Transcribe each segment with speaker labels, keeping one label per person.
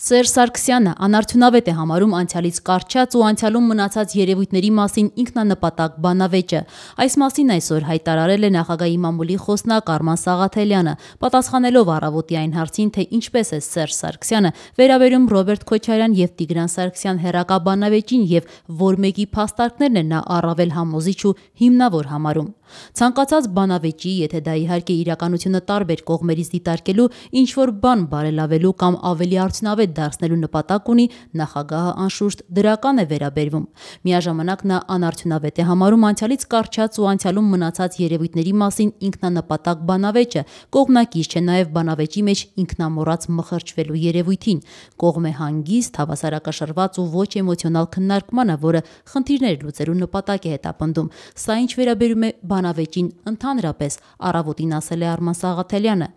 Speaker 1: Սերժ Սարգսյանը անարդյունավետ է համարում անցյալից կառչած ու անցյալում մնացած երևույթների մասին ինքնանպատակ բանավեճը։ Այս մասին այսօր հայտարարել է նախագահի մամուլի խոսնակ Արման Սաղաթելյանը, պատասխանելով առավոտի այն հարցին, թե ինչպես է Սերժ Սարգսյանը վերաբերում Ռոբերտ Քոչարյան և Տիգրան Սարգսյան հեռակա բանավեճին և որ մեկի փաստարկներն են նա առավել համոզիչ ու հիմնավոր համարում։ Ցանկացած բանավեճի, եթե դա իհարկե իրականությունը տարբեր կողմերից դիտարկելու, ինչ-որ բան բարելավելու կամ ավելի արդյունավետ դարձնելու նպատակ ունի, նախագահը անշուշտ դրական է վերաբերվում։ Միաժամանակ նա անարդյունավետ է համարում անցյալից կառչած ու անցյալում մնացած երևույթների մասին ինքնանպատակ բանավեճը, կողմնակից չէ նաև բանավեճի մեջ ինքնամոռաց մխրճվելու երևույթին, կողմ է հանգիստ, հավասարակշռված ու ոչ էմոցիոնալ քննարկմանը, որը խնդիրներ լուծելու նպատակ է հետապնդում։ Սա ինչ վերաբերում է բանավեճին ընդհանրապես, առավոտին ասել է Արման Սաղաթելյանը։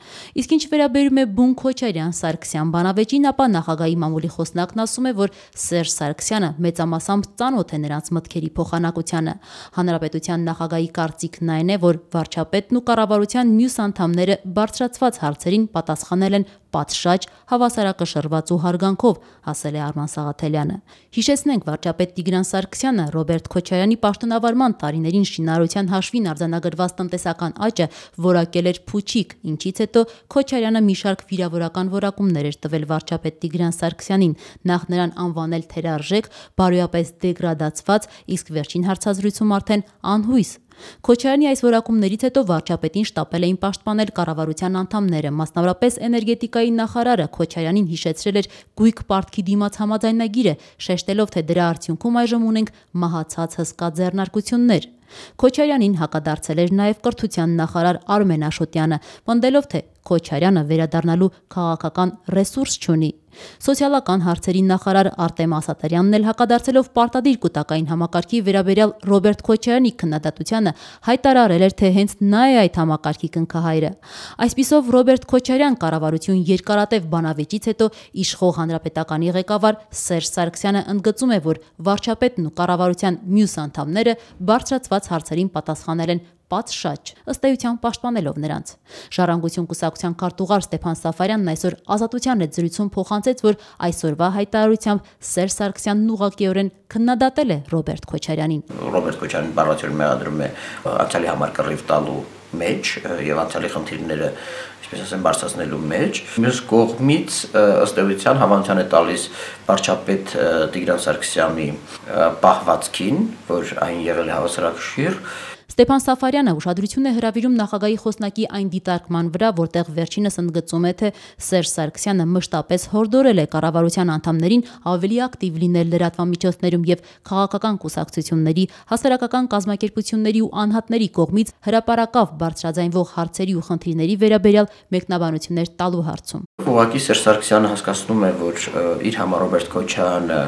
Speaker 1: Իսկ ինչ վերաբերում է բուն Քոչարյան-Սարգսյան բանավեճին, ապա նախագահի մամուլի խոսնակն ասում է, որ Սերժ Սարգսյանը մեծամասամբ ծանոթ է նրանց մտքերի փոխանակությանը։ Հանրապետության նախագահի կարծիքն այն է, որ վարչապետն ու կառավարության մյուս անդամները բարձրացված հարցերին պատասխանել են պատշաճ, հավասարակշռված ու հարգանքով, ասել է Արման Սաղաթելյանը։ Հիշեցնենք, վարչապետ Տիգրան Սարգսյանը Ռոբերտ Քոչարյանի պաշտոնավարման տարիներին շինարարության հաշվին արձանագրված տնտեսական աճը որակել էր փուչիկ, ինչից հետո Քոչարյանը մի շարք վիրավորական որակումներ էր տվել վարչապետ Տիգրան Սարգսյանին, նախ նրան անվանել թերարժեք, բարոյապես դեգրադացված, իսկ վերջին հարցազրույցում արդեն անհույս։ Քոչարյանի այս որակումներից հետո վարչապետին շտապել էին պաշտպանել կառավարության անդամները, մասնավորապես էներգետիկայի նախարարը Քոչարյանին հիշեցրել էր գույք պարտքի դիմաց համաձայնագիրը, շեշտելով, թե դրա արդյունքում այժմ ունենք մահացած հսկա ձեռնարկություններ։ Քոչարյանին հակադարձել էր նաև կրթության նախարար Արմեն Աշոտյանը, պնդելով, թե Քոչարյանը վերադառնալու քաղաքական ռեսուրս չունի։ Սոցիալական հարցերի նախարար Արտեմ Ասատարյանն էլ հակադարձելով պարտադիր կൂട്ടակային համակարգի վերաբերյալ Ռոբերտ Քոչարյանի քննադատությանը հայտարարել էր, թե հենց նա է այդ համակարգի կնքահայրը։ Այսպիսով Ռոբերտ Քոչարյան կառավարություն երկարատև բանավեճից հետո իշխող հանրապետականի ղեկավար Սերժ Սարգսյանը ընդգծում է, որ վարչապետն ու կառավարության մյուս անդամները բարձրացված հարցերին պատասխանել են պատշաճ, ըստ էության պաշտպանելով նրանց։ Ժառանգություն կուսակցության քարտուղար Ստեփան Սաֆարյանն այսօր Ազատության հետ զրույցում փոխանցեց, որ այսօրվա հայտարարությամբ Սերժ Սարգսյանն ուղղակիորեն քննադատել է Ռոբերտ Քոչարյանին։
Speaker 2: Ռոբերտ Քոչարյանին բառացիորեն մեղադրում է անցյալի համար կռիվ տալու մեջ եւ անցյալի խնդիրները, ինչպես ասեմ, բարձրացնելու մեջ։ Մյուս կողմից ըստ էության հավանության է տալիս վարչապետ Տիգրան Սարգսյանի պահվածքին, որ այն եղել է հավասարակշիռ։
Speaker 1: Ստեփան Սաֆարյանը ուշադրություն է հրավիրում նախագահի խոսնակի այն դիտարկման վրա, որտեղ վերջինս ընդգծում է, թե Սերժ Սարգսյանը մշտապես հորդորել է կառավարության անդամներին ավելի ակտիվ լինել լրատվամիջոցներում եւ քաղաքական կուսակցությունների, հասարակական կազմակերպությունների ու անհատների կողմից հրապարակավ բարձրաձայնվող հարցերի ու խնդիրների վերաբերյալ մեկնաբանություններ տալու հարցում։
Speaker 2: Ուղղակի Սերժ Սարգսյանը հասկանում է, որ իր համար Ռոբերտ Քոչարյանը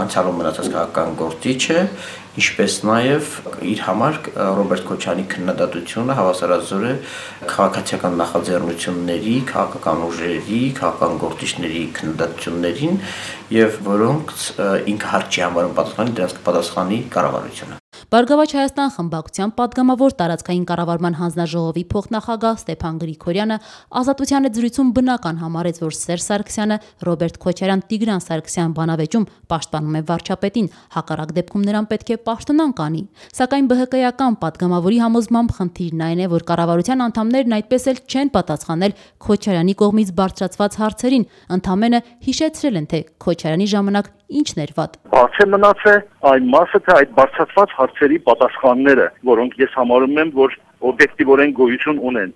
Speaker 2: անցյալում մնացած քաղաքական գործիչ է, ինչպես նաև իր համար Ռոբերտ Քոչարյանի քննադատությունը հավասարազոր է քաղաքացիական նախաձեռնությունների, քաղաքական ուժերի, քաղաքական գործիչների քննադատություններին, եւ որոնց ինքը հարկ չի համարում պատասխանել, դրանց կպատասխանի կառավարությունը։
Speaker 1: Բարգավաճ Հայաստան խմբակցության պատգամավոր տարածքային կառավարման հանձնաժողովի փոխնախագահ Ստեփան Գրիգորյանը Ազատության հետ զրույցում բնական համարեց, որ Սերժ Սարգսյանը Ռոբերտ Քոչարյան-Տիգրան Սարգսյան բանավեճում պաշտպանում է վարչապետին, հակառակ դեպքում նրան պետք է պաշտոնանկ անի։ Սակայն ԲՀԿ-ական պատգամավորի համոզմամբ խնդիրն այն է, որ կառավարության անդամներն այդպես էլ չեն պատասխանել Քոչարյանի կողմից բարձրացված հարցերին, ընդամենը հիշեցրել են, թե Քոչարյանի ժամանակ ինչն էր վատ։
Speaker 3: Բաց է մնացել այն մասը, թե այդ բարձրացված հարցերի պատասխանները, որոնք ես համարում եմ, որ օբյեկտիվորեն գոյություն ունեն,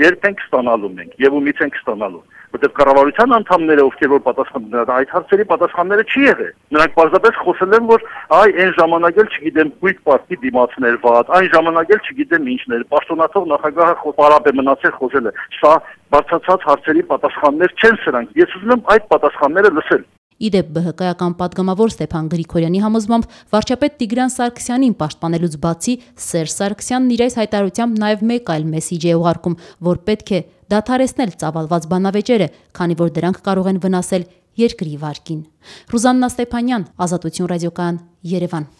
Speaker 3: երբ ենք ստանալու մենք եւ ումից ենք ստանալու, որտեղ կառավարության անդամները, ովքեր որ պատասխանել այդ հարցերի պատասխանները չի եղել։ Նրանք պարզապես խոսել են, որ այն ժամանակ էլ չգիտեմ գույք պարտքի դիմացներ վատ, այն ժամանակ էլ չգիտեմ ինչներ, պաշտոնաթող նախագահը պարապ է մնացել խոսել է։ Սա բարձրացած հարցերի պատասխաններ չեն սրանք։ Ես ուզում եմ այդ պատասխանները լսել։
Speaker 1: Իդեպ ԲՀԿ-ական պատգամավոր Ստեփան Գրիգորյանի համոզմամբ վարչապետ Տիգրան Սարգսյանին պաշտպանելուց բացի Սերժ Սարգսյանն իր այս հայտարարությամբ նաև մեկ այլ մեսիջ է ուղարկում, որ պետք է դադարեցնել ծավալված բանավեճերը, քանի որ դրանք կարող են վնասել երկրի վարկին։ Ռուզաննա Ստեփանյան, Ազատություն ռադիոկայան, Երևան։